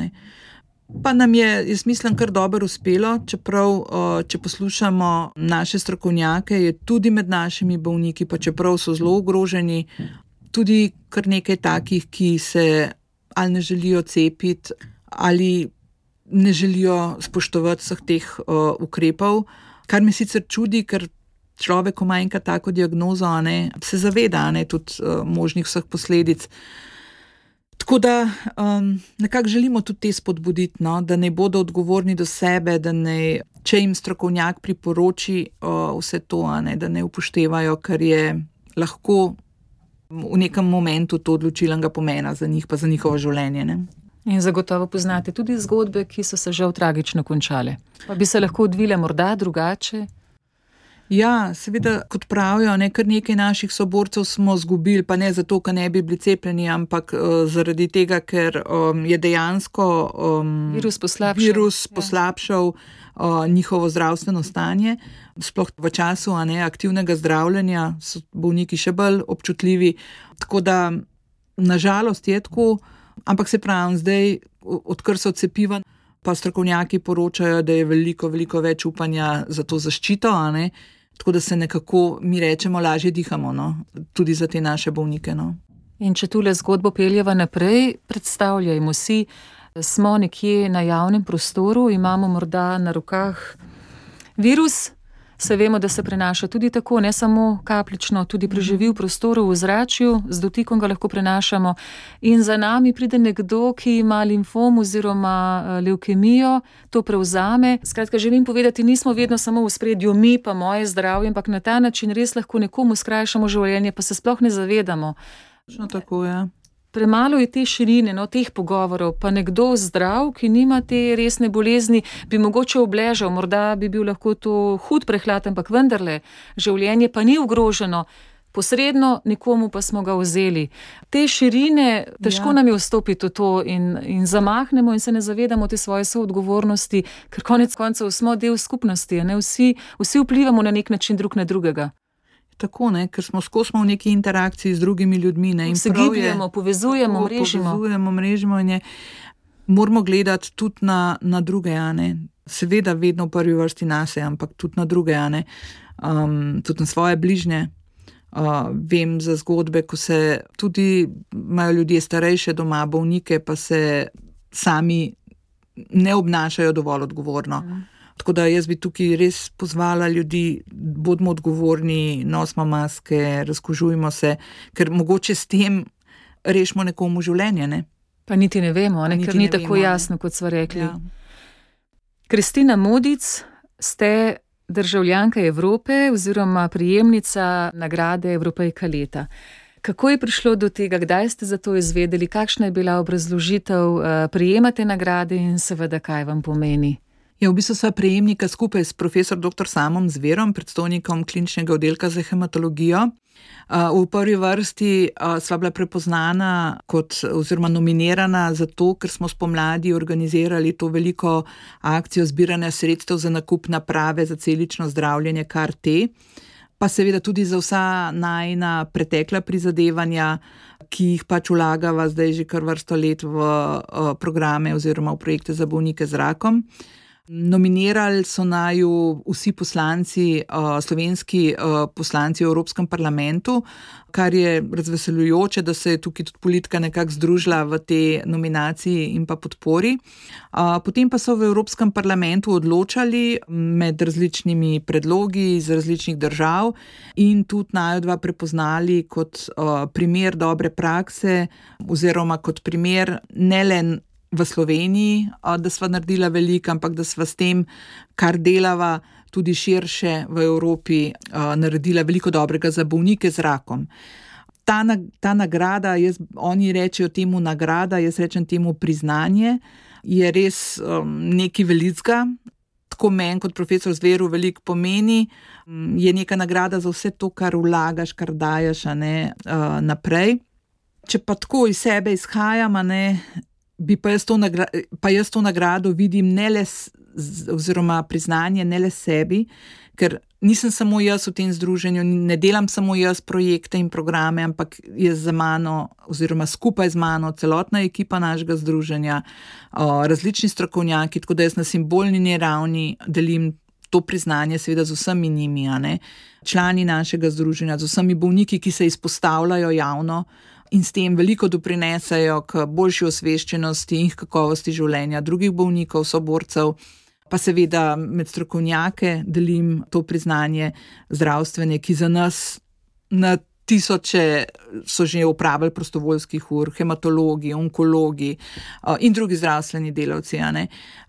Pa nam je, jaz mislim, kar dobro uspelo, čeprav, če poslušamo naše strokovnjake, je tudi med našimi bolniki, pa čeprav so zelo ogroženi, tudi kar nekaj takih, ki se ali ne želijo cepiti, ali ne želijo spoštovati vseh teh ukrepov, kar me sicer čudi, ker človek, ko ima enkrat tako diagnozo, se zaveda tudi možnih vseh posledic. Tako da nekako želimo tudi te spodbuditi, da ne bodo odgovorni do sebe, da ne, če jim strokovnjak priporoči vse to, da ne upoštevajo, ker je lahko v nekem momentu to odločilnega pomena za njih, pa za njihovo življenje. In zagotovo poznate tudi zgodbe, ki so se žal tragično končale. Pa bi se lahko odvile morda drugače? Ja, seveda, kot pravijo, kar nekaj naših soborcev smo zgubili, pa ne zato, ker ne bi bili cepljeni, ampak zaradi tega, ker je dejansko virus poslabšal njihovo zdravstveno stanje. Sploh v času aktivnega zdravljenja so bolniki še bolj občutljivi. Tako da, nažalost je tako, ampak se pravim, zdaj, odkar so cepiva, pa strokovnjaki poročajo, da je veliko, veliko več upanja za to zaščito, tako da se nekako, mi rečemo, lažje dihamo, tudi za te naše bolnike. In če tule zgodbo peljeva naprej, predstavljajmo si, smo nekje na javnem prostoru, imamo morda na rokah virus, Se vemo, da se prenaša tudi tako, ne samo kapljično, tudi preživi v prostoru, v zračju, z dotikom ga lahko prenašamo. In za nami pride nekdo, ki ima limfom oziroma levkemijo, to prevzame. Skratka, želim povedati, nismo vedno samo v spredju mi pa moje zdravje, ampak na ta način res lahko nekomu skrajšamo življenje, pa se sploh ne zavedamo. Tako, ja. Premalo je te širine, teh pogovorov, pa nekdo zdrav, ki nima te resne bolezni, bi mogoče obležal, morda bi bil lahko to hud prehlad, ampak vendarle, življenje pa ni ogroženo, posredno nekomu pa smo ga vzeli. Te širine, težko nam je vstopiti v to in zamahnemo in se ne zavedamo te svoje soodgovornosti, ker konec koncev smo del skupnosti, ne? Vsi vplivamo na nek način drug na drugega. Tako, ne, ker smo skozi v neki interakciji z drugimi ljudmi. Ne, in se gibljamo, povezujemo, mrežimo in moramo gledati tudi na druge, seveda vedno v prvi vrsti nase, ampak tudi na druge, tudi na svoje bližnje. Vem za zgodbe, ko se tudi imajo ljudje starejše doma, bolnike, pa se sami ne obnašajo dovolj odgovorno. Tako da jaz bi tukaj res pozvala ljudi, bodimo odgovorni, nosimo maske, razkužujmo se, ker mogoče s tem rešimo nekomu življenje, ne? Pa niti ne vemo, ker ni tako jasno, kot sva rekli. Ja. Kristina Modic, ste državljanka Evrope oziroma prejemnica nagrade Evropejka leta. Kako je prišlo do tega, kdaj ste za to izvedeli, kakšna je bila obrazložitev prejemate nagrade in seveda kaj vam pomeni? Ja, v bistvu sva prejemnika skupaj s profesor dr. Samom Zverom, predstojnikom kliničnega oddelka za hematologijo. V prvi vrsti sva bila prepoznana oziroma nominirana zato, ker smo spomladi organizirali to veliko akcijo zbiranja sredstev za nakup naprave za celično zdravljenje CAR-T, pa seveda tudi za vsa najina pretekla prizadevanja, ki jih pač vlagava zdaj že kar vrsto let v programe oziroma v projekte za bolnike z rakom. Nominirali so naju vsi poslanci, slovenski poslanci v Evropskem parlamentu, kar je razveseljujoče, da se je tukaj tudi politika nekako združila v te nominaciji in pa podpori. Potem pa so v Evropskem parlamentu odločali med različnimi predlogi iz različnih držav in tudi naju dva prepoznali kot primer dobre prakse oziroma kot primer ne le v Sloveniji, da sva naredila veliko, ampak da sva s tem, kar delava tudi širše v Evropi, naredila veliko dobrega za bolnike z rakom. Ta nagrada, oni rečejo temu nagrada, jaz rečem temu priznanje, je res nekaj velikega. Tako meni kot profesor Zveru veliko pomeni, je neka nagrada za vse to, kar vlagaš, kar daješ naprej. Če pa tako iz sebe izhajam, bi pa jaz to nagrado vidim ne le oziroma priznanje ne le sebi, ker nisem samo jaz v tem združenju, ne delam samo jaz projekte in programe, ampak je za mano oziroma skupaj z mano celotna ekipa našega združenja, različni strokovnjaki, tako da jaz na simbolni ravni delim to priznanje seveda z vsemi njimi, člani našega združenja, z vsemi bolniki, ki se izpostavljajo javno, in s tem veliko doprinesajo k boljši osveščenosti in kakovosti življenja drugih bolnikov, soborcev, pa seveda med strokovnjake delim to priznanje zdravstvene, ki za nas na tisoče so že opravili prostovoljskih ur, hematologi, onkologi in drugi zdravstveni delavci,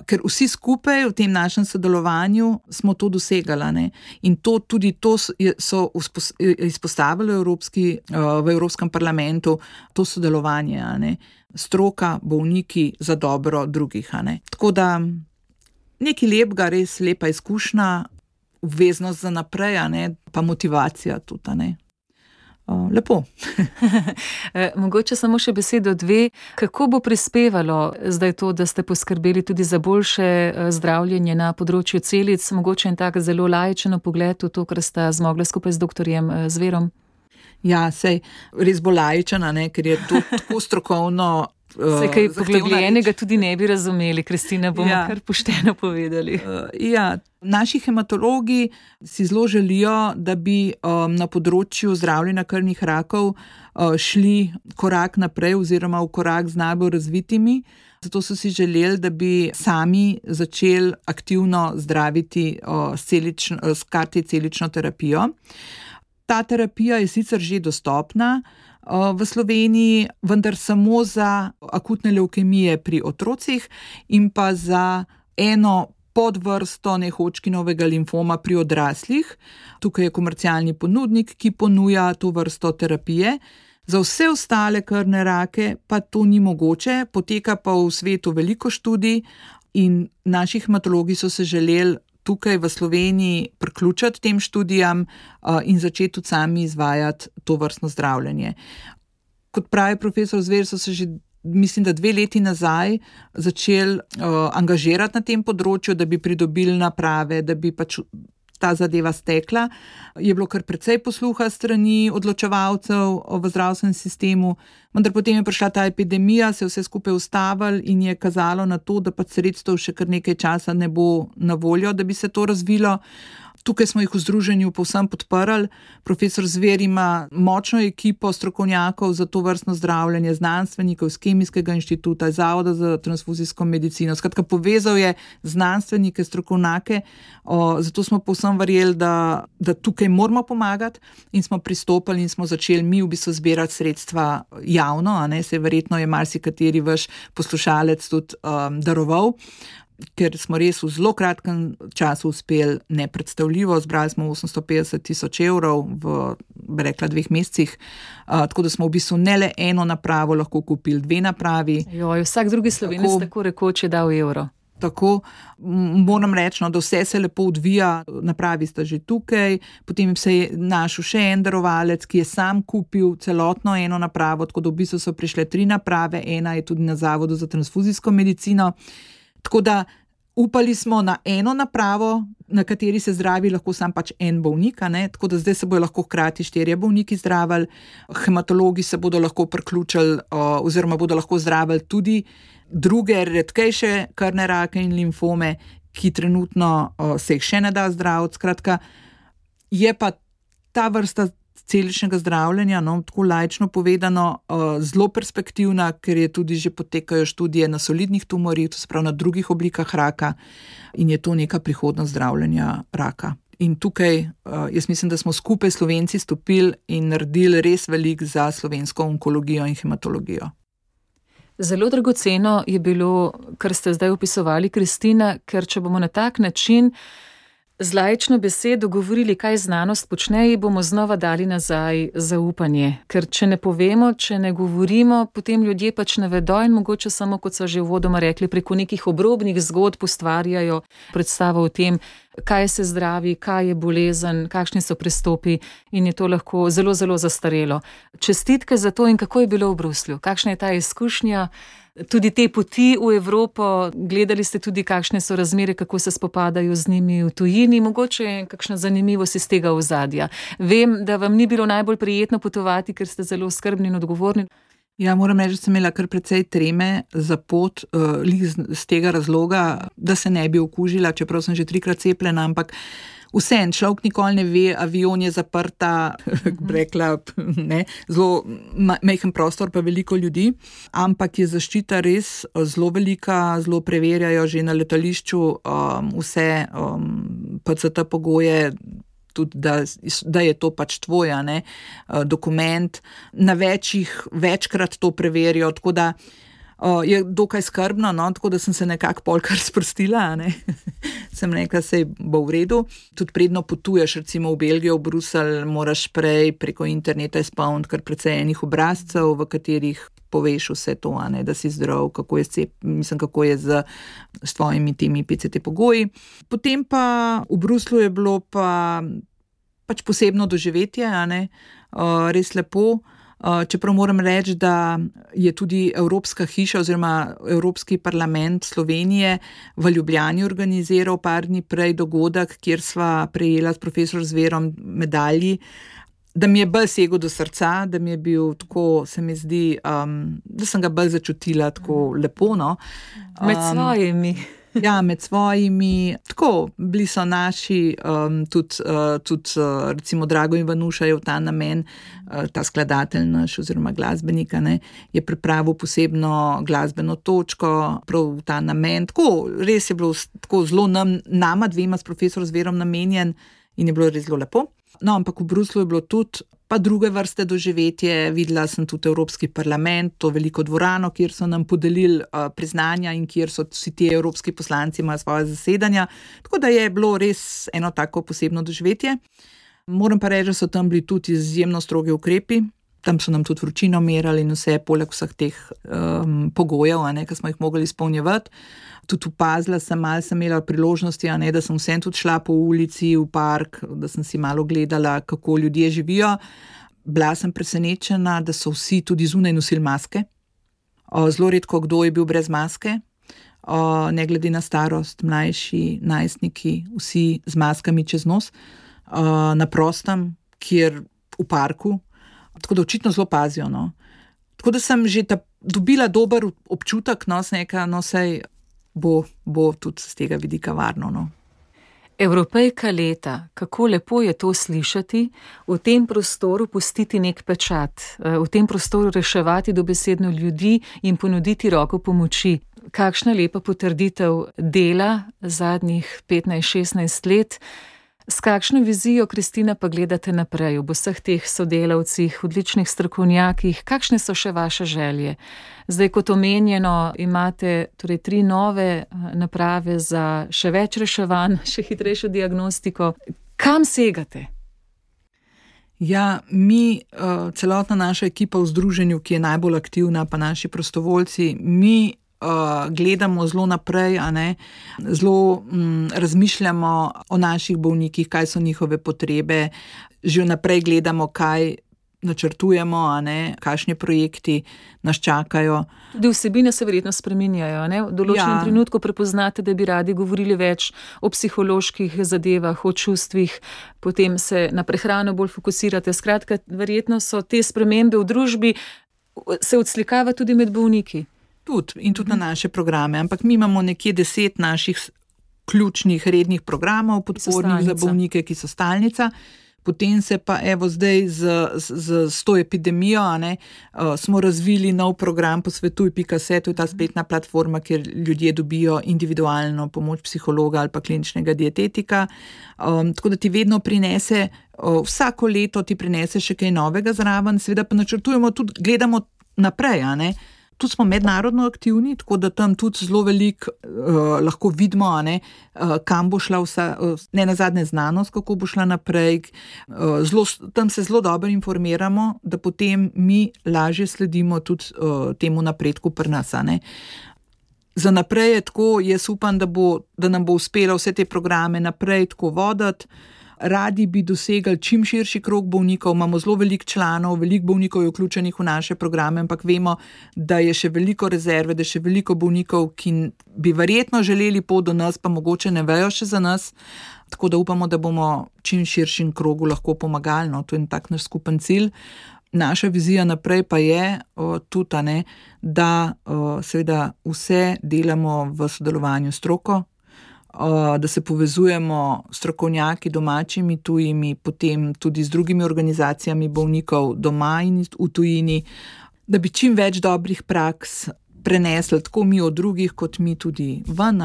ker vsi skupaj v tem našem sodelovanju smo to dosegali, in to so izpostavili v Evropskem parlamentu, to sodelovanje, stroka, bolniki za dobro drugih, Tako da nekaj lepega, res lepa izkušnja, obveznost za naprej, pa motivacija tudi, Lepo. Mogoče samo še besedo dve. Kako bo prispevalo zdaj to, da ste poskrbeli tudi za boljše zdravljenje na področju celic? Mogoče en tak zelo laičen pogled v to, kar sta zmogla skupaj z doktorjem Zverom? Ja, sej res bo laičen, ker je to tako strokovno Se kaj poglobljenega tudi ne bi razumeli, Kristina, bomo kar pošteno povedali. Naši hematologi si zelo želijo, da bi na področju zdravljenja krvnih rakov šli korak naprej oziroma v korak z najbolj razvitimi. Zato so si želeli, da bi sami začeli aktivno zdraviti s karticelično terapijo. Ta terapija je sicer že dostopna v Sloveniji, vendar samo za akutne levkemije pri otrocih in pa za eno podvrsto nehodžkinovega limfoma pri odraslih. Tukaj je komercialni ponudnik, ki ponuja to vrsto terapije. Za vse ostale krvne rake pa to ni mogoče, poteka pa v svetu veliko študij in naši hematologi so se želeli tukaj v Sloveniji priključiti tem študijam in začeti tudi sami izvajati to vrstno zdravljenje. Kot pravi profesor Zver, so se že, mislim, da 2 leti nazaj začeli angažirati na tem področju, da bi pridobili naprave, da bi pač ta zadeva stekla. Je bilo kar precej posluha strani odločevalcev v zdravstvenem sistemu, vendar potem je prišla ta epidemija, se je vse skupaj ustavilo in je kazalo na to, da pač sredstev še kar nekaj časa ne bo na voljo, da bi se to razvilo. Tukaj smo jih v združenju povsem podprli. Profesor Zver ima močno ekipo strokovnjakov za to vrstno zdravljenje, znanstvenikov iz Kemijskega inštituta, iz Zavoda za transfuzijsko medicino. Skratka, povezal je znanstvenike, strokovnjake, zato smo povsem verjeli, da tukaj moramo pomagati in smo pristopili in smo začeli mi v bistvu zbirati sredstva javno, se verjetno je marsikateri vaš poslušalec tudi daroval. Ker smo res v zelo kratkem času uspeli nepredstavljivo, zbrali smo 850 000 evrov v, bi rekla, 2 mesecih, tako da smo v bistvu ne le eno napravo lahko kupili, 2 napravi. Vsak drugi Slovenec tako rekoč je dal evro. Tako, moram reči, da vse se lepo odvija, napravi sta že tukaj, potem se je našel še en darovalec, ki je sam kupil celotno eno napravo, tako da v bistvu so prišle 3 naprave, ena je tudi na Zavodu za transfuzijsko medicino. Tako da upali smo na eno napravo, na kateri se zdravi lahko sam pač en bolnik, tako da zdaj se bodo lahko hkrati 4 bolniki zdravili, hematologi se bodo lahko priključili oziroma bodo lahko zdravili tudi druge redkejše krvne rake in limfome, ki trenutno se jih še ne da zdraviti. Skratka, je pa ta vrsta celičnega zdravljenja, tako laično povedano, zelo perspektivna, ker je tudi že potekajo študije na solidnih tumorjih, to se pravi na drugih oblikah raka, in je to neka prihodnost zdravljenja raka. In tukaj jaz mislim, da smo skupaj Slovenci stopili in naredili res veliko za slovensko onkologijo in hematologijo. Zelo dragoceno je bilo, kar ste zdaj opisovali, Kristina, ker če bomo na tak način z laično besedo govorili, kaj znanost počne, ji bomo znova dali nazaj zaupanje. Ker če ne povemo, če ne govorimo, potem ljudje pač ne vedo in mogoče samo, kot so že uvodoma rekli, preko nekih obrobnih zgodb ustvarjajo predstavo o tem, kaj se zdravi, kaj je bolezen, kakšni so prestopi in je to lahko zelo, zelo zastarelo. Čestitke za to in kako je bilo v Bruslju? Kakšna je ta izkušnja? Tudi te poti v Evropo, gledali ste tudi, kakšne so razmere, kako se spopadajo z njimi v tujini, mogoče kakšna zanimivost iz tega ozadja. Vem, da vam ni bilo najbolj prijetno potovati, ker ste zelo skrbni in odgovorni. Ja, moram reči, da sem imela kar precej treme za pot, z tega razloga, da se ne bi okužila, čeprav sem že 3-krat cepljena, ampak vsem, človek nikoli ne ve, avion je zaprta, rekla, zelo majhen prostor, pa veliko ljudi, ampak je zaščita res zelo velika, zelo preverjajo že na letališču vse PCT pogoje, tudi da je to pač tvoj dokument, na večkrat to preverijo, tako da je dokaj skrbno, tako da sem se nekako polkar sprostila, sem rekla, sej bo v redu. Tudi predno potuješ, recimo v Belgijo, v Bruselj, moraš prej preko interneta izpolniti kar precej enih obrazcev, v katerih poveš vse to, da si zdrav, kako je z tvojimi temi PCT pogoji. Potem pa v Bruslju je bilo pač posebno doživetje, res lepo. Čeprav moram reči, da je tudi Evropska hiša oziroma Evropski parlament Slovenije v Ljubljani organiziral par dni prej dogodek, kjer sva prejela s profesor Zverom medalji da mi je bolj segel do srca, da mi je bil tako, se mi zdi, da sem ga bolj začutila tako lepo, no. Med svojimi. Ja, med svojimi, tako, bili so naši, tudi recimo Drago Ivanuša je v ta namen, ta skladatelj naš oziroma glasbenika, ne, je pripravil posebno glasbeno točko, prav v ta namen, tako, res je bilo tako zelo nama dvema s profesor Zverom namenjen in je bilo res zelo lepo. No, ampak v Bruslju je bilo tudi pa druge vrste doživetje, videla sem tudi Evropski parlament, to veliko dvorano, kjer so nam podelili priznanja in kjer so vsi ti evropski poslanci imajo svoje zasedanja, tako da je bilo res eno tako posebno doživetje. Moram pa reči, da so tam bili tudi izjemno strogi ukrepi, tam so nam tudi vročino merali in vse, poleg vseh teh pogojev, ki smo jih mogli izpolnjevati. Tudi opazila sem, malo sem imela priložnosti, da sem vsem tudi šla po ulici v park, da sem si malo gledala, kako ljudje živijo. Bila sem presenečena, da so vsi tudi zunaj nosili maske. Zelo redko kdo je bil brez maske, ne glede na starost, mlajši, najstniki, vsi z maskami čez nos, na prostem, kjer v parku, tako da očitno zelo pazijo. No. Tako da sem že dobila dober občutek, sej bo tudi z tega vidika varno. No. Evropejka leta, kako lepo je to slišati, v tem prostoru pustiti nek pečat, v tem prostoru reševati dobesedno ljudi in ponuditi roko pomoči. Kakšna lepa potrditev dela zadnjih 15-16 let. S kakšno vizijo, Kristina, pa gledate naprej ob vseh teh sodelavcih, odličnih strokovnjakih, kakšne so še vaše želje? Zdaj, kot omenjeno, imate torej 3 nove naprave za še več reševanj, še hitrejšo diagnostiko. Kam segate? Ja, mi, celotna naša ekipa v združenju, ki je najbolj aktivna, pa naši prostovoljci, mi gledamo zelo naprej, zelo razmišljamo o naših bolnikih, kaj so njihove potrebe, že naprej gledamo, kaj načrtujemo, kakšni projekti nas čakajo. Tudi vsebine se verjetno spreminjajo, v določenem trenutku prepoznate, da bi radi govorili več o psiholoških zadevah, o čustvih, potem se na prehrano bolj fokusirate. Skratka, verjetno so te spremembe v družbi, se odslikava tudi med bolniki. In tudi na naše programe, ampak mi imamo nekje 10 naših ključnih rednih programov, podpornih za bolnike, ki so stalnica. Potem se pa zdaj z to epidemijo smo razvili nov program Posvetuj.se, to je ta spletna platforma, kjer ljudje dobijo individualno pomoč psihologa ali pa kliničnega dietetika. Tako da ti vedno prinese, vsako leto ti prinese še kaj novega zraven, seveda pa načrtujemo tudi, gledamo naprej, Tu smo mednarodno aktivni, tako da tam tudi zelo veliko lahko vidimo, kam bo šla vsa, ne nazadnje znanost, kako bo šla naprej. Tam se zelo dobro informiramo, da potem mi lažje sledimo tudi temu napredku pri nas. Za naprej je tako, jaz upam, da nam bo uspelo vse te programe naprej tako voditi. Radi bi dosegli čim širši krog bolnikov, imamo zelo veliko članov, veliko bolnikov je vključenih v naše programe, ampak vemo, da je še veliko rezerve, da je še veliko bolnikov, ki bi verjetno želeli pot do nas, pa mogoče ne vejo še za nas, tako da upamo, da bomo čim širšim krogu lahko pomagali, to je tak naš skupen cilj. Naša vizija naprej pa je tudi, da seveda vse delamo v sodelovanju s stroko, da se povezujemo strokovnjaki domačimi, tujimi, potem tudi z drugimi organizacijami bolnikov doma in v tujini, da bi čim več dobrih praks prenesli tako mi od drugih, kot mi tudi ven,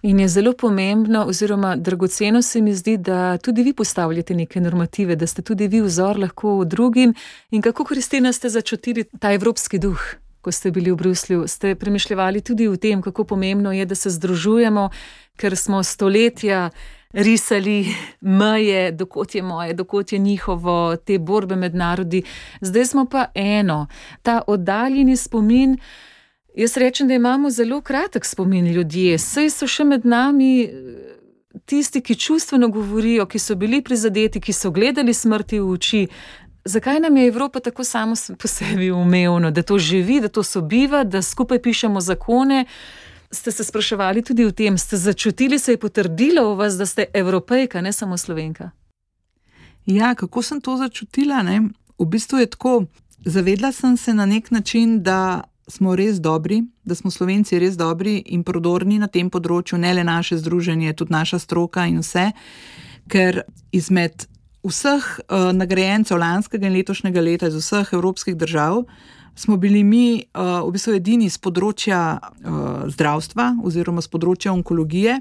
In je zelo pomembno oziroma dragoceno se mi zdi, da tudi vi postavljate neke normative, da ste tudi vi vzor lahko drugim. In kako, Kristina, ste začutili ta evropski duh? Ko ste bili v Bruslju, ste premišljevali tudi o tem, kako pomembno je, da se združujemo, ker smo stoletja risali meje, dokot je moje, dokot je njihovo, te borbe med narodi. Zdaj smo pa eno, ta oddaljeni spomin. Jaz rečem, da imamo zelo kratek spomin ljudje, saj so še med nami tisti, ki čustveno govorijo, ki so bili prizadeti, ki so gledali smrti v oči. Zakaj nam je Evropa tako samo po sebi umevno, da to živi, da to sobiva, da skupaj pišemo zakone? Ste se spraševali tudi o tem, ste začutili, se je potrdilo v vas, da ste Evropejka, ne samo Slovenka? Ja, kako sem to začutila, ne? V bistvu je tako, zavedla sem se na nek način, da smo res dobri, da smo Slovenci res dobri in prodorni na tem področju, ne le naše združenje, tudi naša stroka in vse, ker izmed vseh nagrajencev lanskega in letošnjega leta iz vseh evropskih držav smo bili mi v bistvu edini z področja zdravstva oziroma z področja onkologije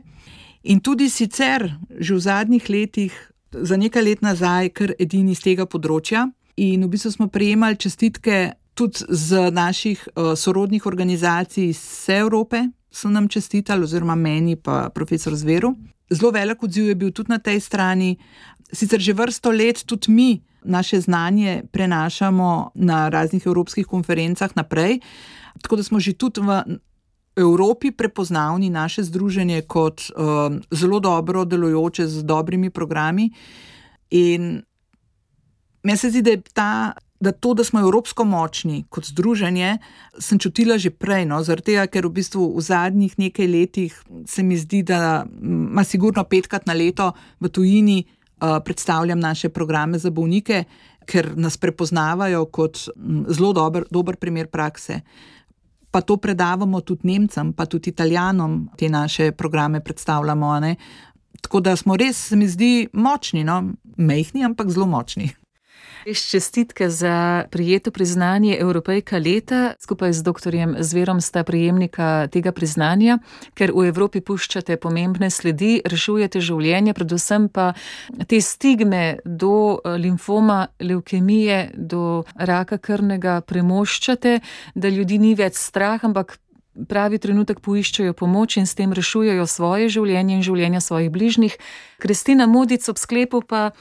in tudi sicer že v zadnjih letih, za nekaj let nazaj, kar edini z tega področja in v bistvu smo prejemali čestitke tudi z naših sorodnih organizacij iz vse Evrope, so nam čestitali, oziroma meni pa profesor Zveru. Zelo velik odziv je bil tudi na tej strani. Sicer že vrsto let tudi mi naše znanje prenašamo na raznih evropskih konferencah naprej, tako da smo že tudi v Evropi prepoznavni naše združenje kot zelo dobro delujoče z dobrimi programi in meni se zdi, da to, da smo evropsko močni kot združenje, sem čutila že prej, no, zaradi tega, ker v bistvu v zadnjih nekaj letih se mi zdi, da ima sigurno 5-krat na leto v tujini predstavljam naše programe za bolnike, ker nas prepoznavajo kot zelo dober primer prakse. Pa to predavamo tudi Nemcem, pa tudi Italijanom, te naše programe predstavljamo, ne. Tako da smo res, se mi zdi, močni, no, majhni, ampak zelo močni. Čestitke za prijeto priznanje Evropejka leta. Skupaj z doktorjem Zverom sta prejemnika tega priznanja, ker v Evropi puščate pomembne sledi, rešujete življenje, predvsem pa te stigme do limfoma, levkemije, do raka krvnega premoščate, da ljudi ni več strah, ampak pravi trenutek poiščejo pomoč in s tem rešujejo svoje življenje in življenja svojih bližnjih. Kristina Modic, ob sklepu pa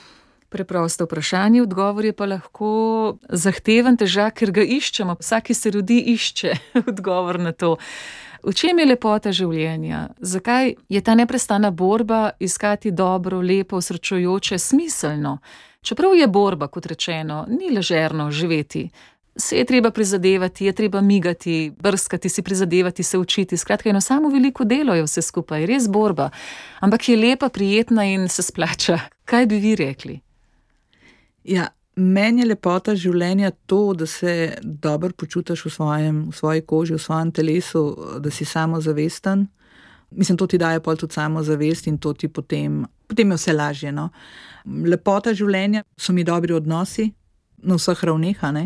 preprosto vprašanje, odgovor je pa lahko zahteven, težak, ker ga iščemo. Vsak, ki se rodi, išče odgovor na to. V čem je lepota življenja? Zakaj je ta neprestana borba iskati dobro, lepo, osrečujoče, smiselno? Čeprav je borba, kot rečeno, ni ležerno živeti. Se je treba prizadevati, je treba migati, brskati, si prizadevati, se učiti. Skratka, eno samo veliko delo je vse skupaj, res borba. Ampak je lepa, prijetna in se splača. Kaj bi vi rekli? Ja, meni je lepota življenja to, da se dobro počutiš v svoji koži, v svojem telesu, da si samozavesten. Mislim, to ti daje pol tudi samozavest in to ti potem je vse lažje, no. Lepota življenja so mi dobri odnosi na vseh ravneh, a ne.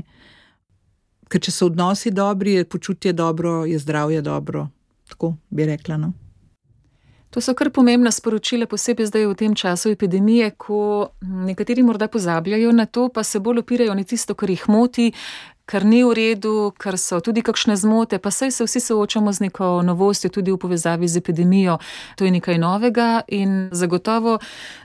Ker če so odnosi dobri, je počutje dobro, je zdravje dobro. Tako bi rekla, no. To so kar pomembna sporočila, posebej zdaj v tem času epidemije, ko nekateri morda pozabljajo na to, pa se bolj opirajo na tisto, kar jih moti, kar ni v redu, kar so tudi kakšne zmote, pa saj se vsi soočamo z neko novostjo tudi v povezavi z epidemijo. To je nekaj novega in zagotovo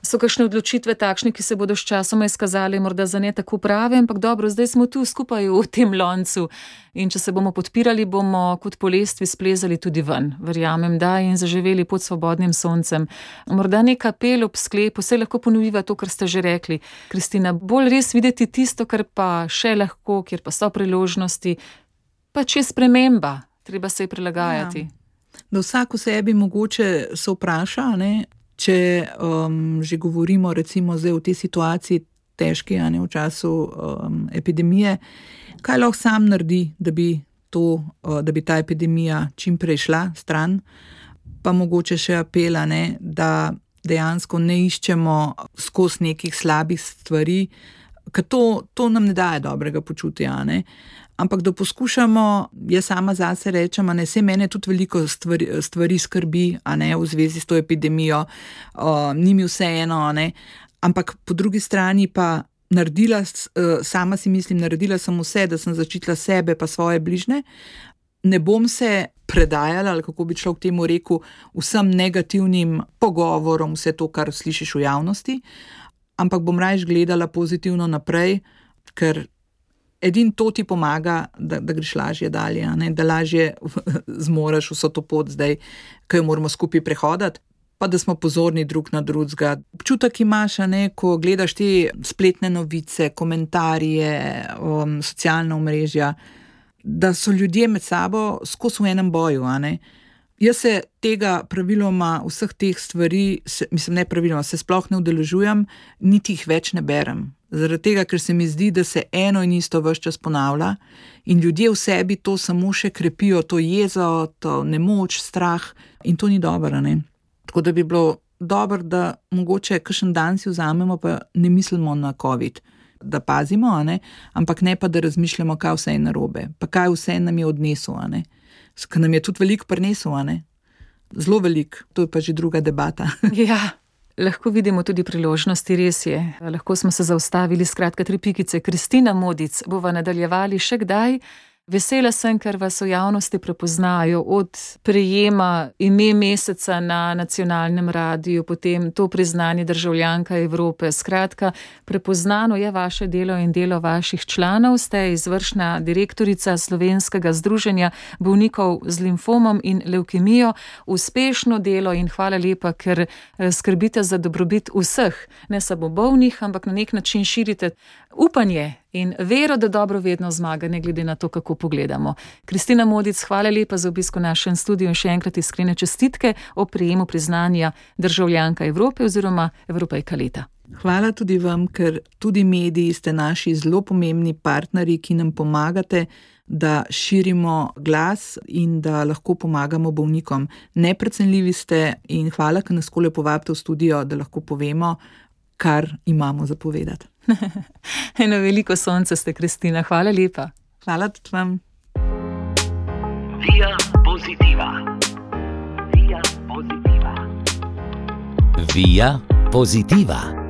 so kakšne odločitve takšne, ki se bodo s časoma izkazali morda za ne tako prave, ampak dobro, zdaj smo tu skupaj v tem loncu in če se bomo podpirali, bomo kot po lestvi splezali tudi ven. Verjamem, da, in zaživeli pod svobodnim soncem. Morda nek apel ob sklepu, se lahko ponoviva to, kar ste že rekli. Kristina, bolj res videti tisto, kar pa še lahko, kjer pa so priložnosti, pa če je sprememba, treba se je prilagajati. Ja. Da vsak v sebi mogoče se vpraša, ne, če že govorimo recimo zdaj v tej situaciji težki, a ne, v času epidemije, kaj lahko sam naredi, da bi ta epidemija čim prej šla stran, pa mogoče še apela, ne, da dejansko ne iščemo skozi nekih slabih stvari, ker to nam ne daje dobrega počutja, ne. Ampak da poskušamo, jaz sama zase rečem, a ne, saj mene tudi veliko stvari skrbi, a ne, v zvezi s to epidemijo, ni mi vseeno, a ne, ampak po drugi strani pa sama si mislim, naredila sem vse, da sem zaščitila sebe pa svoje bližnje, ne bom se predajala, ali kako bi človek temu rekel, vsem negativnim pogovorom, vse to, kar slišiš v javnosti, ampak bom raje gledala pozitivno naprej, ker edino to ti pomaga, da greš lažje dalje, ne? Da lažje zmoreš vso to pot zdaj, ki jo moramo skupaj prehoditi, pa da smo pozorni drug na drugega. Občutek imaš, ne, ko gledaš te spletne novice, komentarje, socialna omrežja, da so ljudje med sabo skozi v enem boju, a ne. Jaz se tega praviloma, vseh teh stvari, ne praviloma, se sploh ne udeležujem, niti jih več ne berem. Zaradi tega, ker se mi zdi, da se eno in isto ves čas ponavlja in ljudje v sebi to samo še krepijo, to jezo, to nemoč, strah in to ni dobro, ne. Tako da bi bilo dobro, da mogoče kakšen dan si vzamemo, pa ne mislimo na COVID, da pazimo, ampak ne pa, da razmišljamo, kaj vse je narobe, pa kaj vse nam je odnesel, ker nam je tudi veliko prinesel, zelo veliko, to je pa že druga debata. Ja, lahko vidimo tudi priložnosti, res je. Lahko smo se zaustavili, skratka 3 pikice. Kristina Modic, bova nadaljevali še kdaj. Vesela sem, ker vas v javnosti prepoznajo od prejema ime meseca na nacionalnem radiju, potem to priznanje državljanka Evrope. Skratka, prepoznano je vaše delo in delo vaših članov. Ste izvršna direktorica Slovenskega združenja bolnikov z limfomom in levkemijo. Uspešno delo in hvala lepa, ker skrbite za dobrobit vseh, ne samo bolnih, ampak na nek način širite upanje in vero, da dobro vedno zmaga, ne glede na to, kako pogledamo. Kristina Modic, hvala lepa za obisk v našem studiu in še enkrat iskrene čestitke o prejemu priznanja državljanka Evrope oziroma Evropejka leta. Hvala tudi vam, ker tudi mediji ste naši zelo pomembni partnerji, ki nam pomagate, da širimo glas in da lahko pomagamo bolnikom. Neprecenljivi ste in hvala, ker nas takole povabite v studio, da lahko povemo, kar imamo za povedati. Eno veliko sonce ste, Kristina. Hvala lepa. Hvala tudi vam. Via Positiva. Via Positiva. Via Positiva.